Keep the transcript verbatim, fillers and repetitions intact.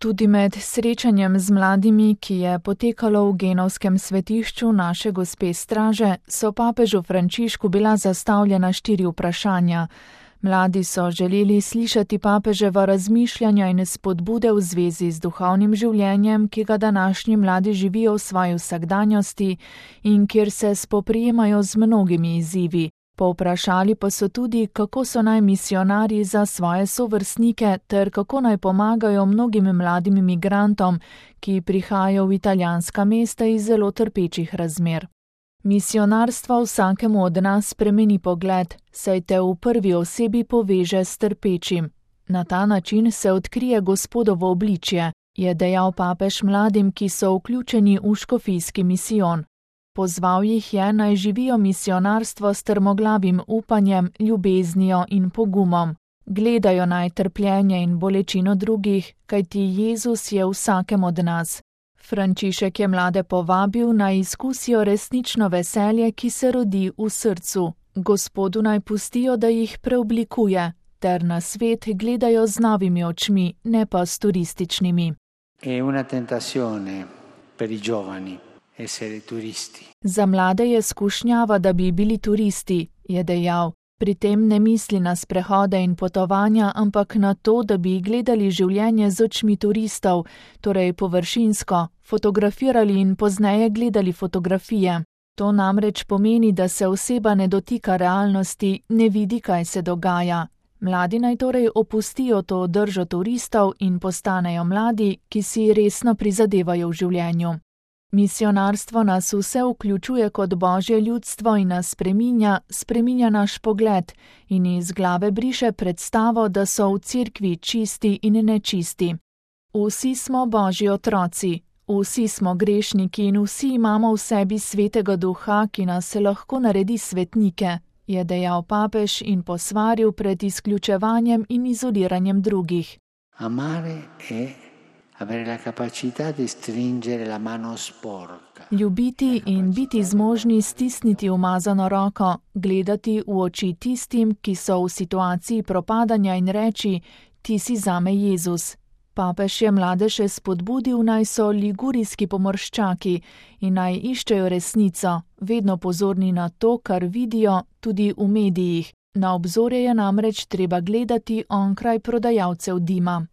Tudi med srečanjem z mladimi, ki je potekalo v genovskem svetišču Naše gospe Straže, so papežu Frančišku bila zastavljena štiri vprašanja. Mladi so želeli slišati papeževa razmišljanja in spodbude v zvezi z duhovnim življenjem, ki ga današnji mladi živijo v svoji vsakdanjosti in kjer se spoprijemajo z mnogimi izzivi. Povprašali pa so tudi, kako so naj misionarji za svoje sovrstnike ter kako naj pomagajo mnogim mladim migrantom, ki prihajajo v italijanska mesta iz zelo trpečih razmer. Misionarstvo vsakemu od nas spremeni pogled, saj te v prvi osebi poveže s trpečim. Na ta način se odkrije Gospodovo obličje, je dejal papež mladim, ki so vključeni v škofijski misijon. Pozval jih je, naj živijo misionarstvo s trmoglavim upanjem, ljubeznijo in pogumom. Gledajo naj trpljenje in bolečino drugih, kajti Jezus je vsakem od nas. Frančišek je mlade povabil, naj izkusijo resnično veselje, ki se rodi v srcu. Gospodu naj pustijo, da jih preoblikuje, ter na svet gledajo z novimi očmi, ne pa s turističnimi. È una tentazione per i giovani. Za mlade je skušnjava, da bi bili turisti, je dejal. Pri tem ne misli na sprehode in potovanja, ampak na to, da bi gledali življenje z očmi turistov, torej površinsko, fotografirali in pozneje gledali fotografije. To namreč pomeni, da se oseba ne dotika realnosti, ne vidi, kaj se dogaja. Mladi naj torej opustijo to držo turistov in postanejo mladi, ki si resno prizadevajo v življenju. Misionarstvo nas vse vključuje kot Božje ljudstvo in nas spreminja, spreminja naš pogled in iz glave briše predstavo, da so v cerkvi čisti in nečisti. Vsi smo Božji otroci, vsi smo grešniki in vsi imamo v sebi svetega duha, ki nas lahko naredi svetnike, je dejal papež in posvaril pred izključevanjem in izoliranjem drugih. Amare è avere la capacità di stringere la mano sporca. Ljubiti in biti zmožni stisniti umazano roko, gledati v oči tistim, ki so v situaciji propadanja in reči: ti si zame Jezus. Papež je mlade še spodbudil, naj so ligurijski pomorščaki in naj iščejo resnico, vedno pozorni na to, kar vidijo, tudi v medijih. Na obzorje je namreč treba gledati onkraj prodajalcev dima.